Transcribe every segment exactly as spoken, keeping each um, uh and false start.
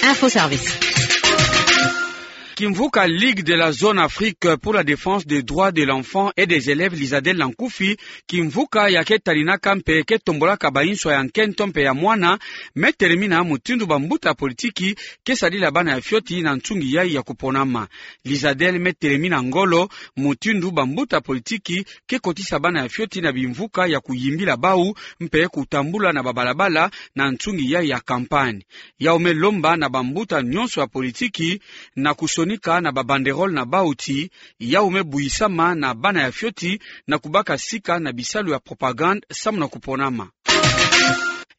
Info Service. Kimvuka Ligue de la Zone Afrique pour la Défense des Droits de l'Enfant et des Élèves, Lizadel na nkufi, kimvuka ya ketaninaka mpe ketombolaka bansoni ya nkento mpe ya mwana, me telemina mutindu bambuta politiki kesadila bana ya fioti na nsungi yayi ya kuponama. Lizadel me telemina ngolo mutindu bambuta politiki kekotisa bana ya fioti na bimvuka ya kuyimbila bau mpe kutambula na babalabala na nsungi yayi ya campagne. Yau me lomba na bambuta nyonso ya politiki na kusonika na babanderole na bau ti yau me buyisama na bana ya fioti na kubaka sika na bisalu ya propagande samu na kuponama.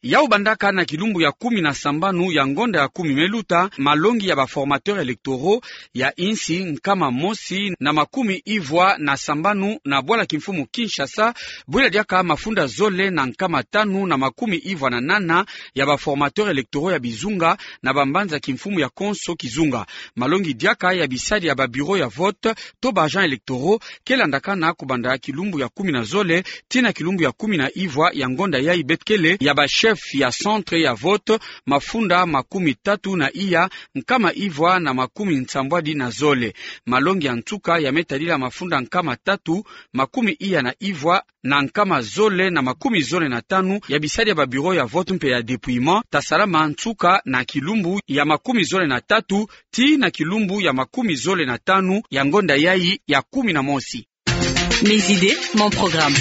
Yau bandaka na kilumbu ya kumi na sambanu ya ngonda ya kumi me luta, malongi ya baformateurs électoraux ya insi nkama mosi na makumi ivwa na sambanu na bwala kimfumu Kinshasa, bwila diaka mafunda zole na nkama tanu na makumi ivwa na nana ya baformateurs électoraux ya bizunga na bambanza kimfumu ya konso kizunga. Malongi diaka ya bisadi ya babureaux ya vote to baagents électoraux kelandakana kubanda kilumbu ya kumi na zole tii na kilumbu ya kumi na ivwa ya ngonda yayi, beto kele ya bachefs ya centres ya vote mafunda makumi tatu na iya nkama ivwa na makumi nsambwadi na zole. Malongi ya nsuka ya me tadila mafunda nkama tatu makumi iya na ivwa na nkama zole na makumi zole na tanu ya bisadi ya babureaux ya vote mpe ya dépouillement, ta salama nsuka na kilumbu ya makumi zole na tatu tii na kilumbu ya makumi zole na tanu ya ngonda yayi ya kumi na mosi. Mes idées, mon programme.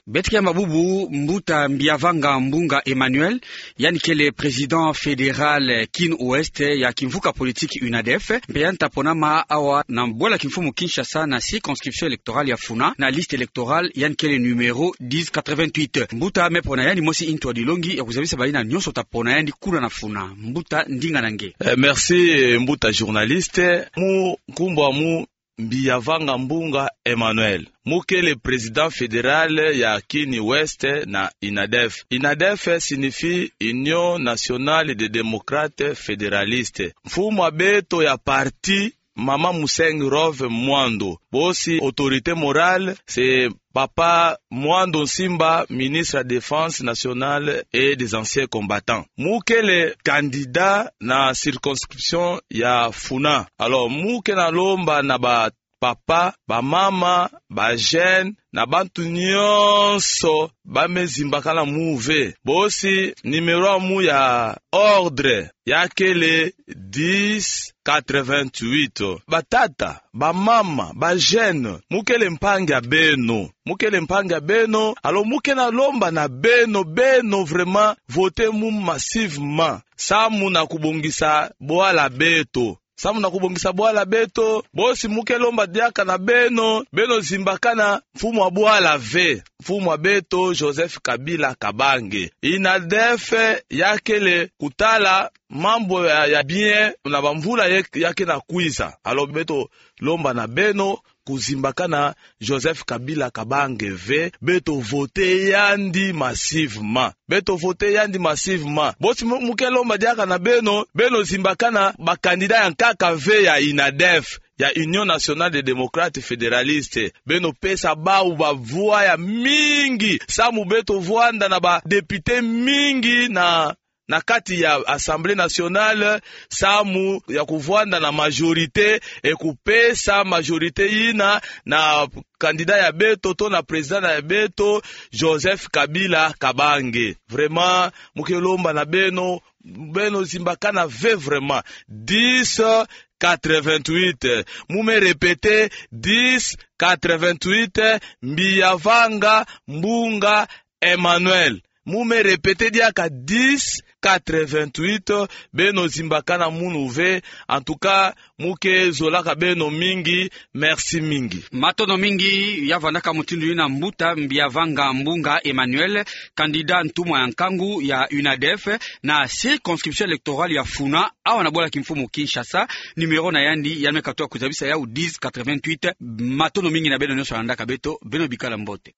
Beto ke yamba bubu mbuta Mbiavanga Mbunga Emmanuel, yandi kele président fédéral Kin Ouest ya kimvuka politique UNADEF, mpe yandi ta ponama awa na bwala kimfumu Kinshasa na circonscription électorale ya Funa, na liste électorale yandi kele numéro dix quatre-vingt-huit. Mbuta me pona yandi mosi ntu ya dilongi ya kuzabisa bayina nyonso ta pona yandi kuna na Funa. Mbuta, ndinga na nge. Eh, merci, eh, mbuta journaliste. Mu nkumbu amu Mbiavanga Mbunga Emmanuel. Mu kele président fédéral ya Kin Ouest na UNADEF. UNADEF signifie Union Nationale des Démocrates Fédéralistes. Mfumu a beto ya parti, mama Musengi Rove Mwando. Bosi autorité morale, c'est papa Mwando Nsimba, ministre ya Défense Nationale et des Anciens Combattants. Mu kele candidat na circonscription ya Funa. Alors, mu ke na lomba na bapapa, bamama, bajeunes, na bantu nyonso ba me zimbakana mu ve. Bosi numéro amu ya ordre ya kele dix quatre-vingt-huit. Batata, bamama, bajeunes, mu kele mpangi a beno. Mu kele mpangi a beno, alors mu ke na lomba na beno, beno vraiment, votez mu massivement. Samu na kubongisa bwala beto. Samu na kubongisa bwala beto, bosi mu ke lomba diaka na beno, beno zimbakana mfumu a bwala ve. Mfumu a beto, Joseph Kabila Kabange. UNADEF ya kele kutala mambu ya, ya bien na bamvula ye, ya ke na kwiza. Alors beto lomba na beno kuzimbakana Joseph Kabila Kabange ve, beto voter yandi massivement. Beto voter yandi massivement. Bosi mu, mu ke lomba diaka na beno, beno zimbakana bacandidats ya nkaka ve ya UNADEF, ya Union Nationale des Démocrates Fédéralistes. Beno pesa bau bavoix ya mingi, samu beto vwanda na badéputés mingi na na kati ya Assemblée nationale, samu ya kuvwanda na majorité, e kupesa majorité yina na candidat ya beto, to na président ya beto, Joseph Kabila Kabange. Vraiment, mu ke lomba na beno, beno zimbakana ve vraiment. Dix quatre-vingt-huit. Mu me répéter, dix quatre-vingt-huit, Mbiavanga Mbunga Emmanuel. Mu me répéter diaka dix quatre-vingt-huit, beno zimbakana munu ve. En tout cas, mu ke zolaka beno mingi, merci mingi. Matondo mingi, ya vandaka mutindu yina mbuta Mbiavanga Mbunga Emmanuel, candidat ntumwa ya nkangu ya UNADEF, na circonscription électorale ya Funa, awa na bwala kimfumu Kinshasa, numéro na yandi, ya me katuka kuzabisa yau dix quatre-vingt-huit, matondo mingi na beno nyonso landaka beto, beno bikala mbote.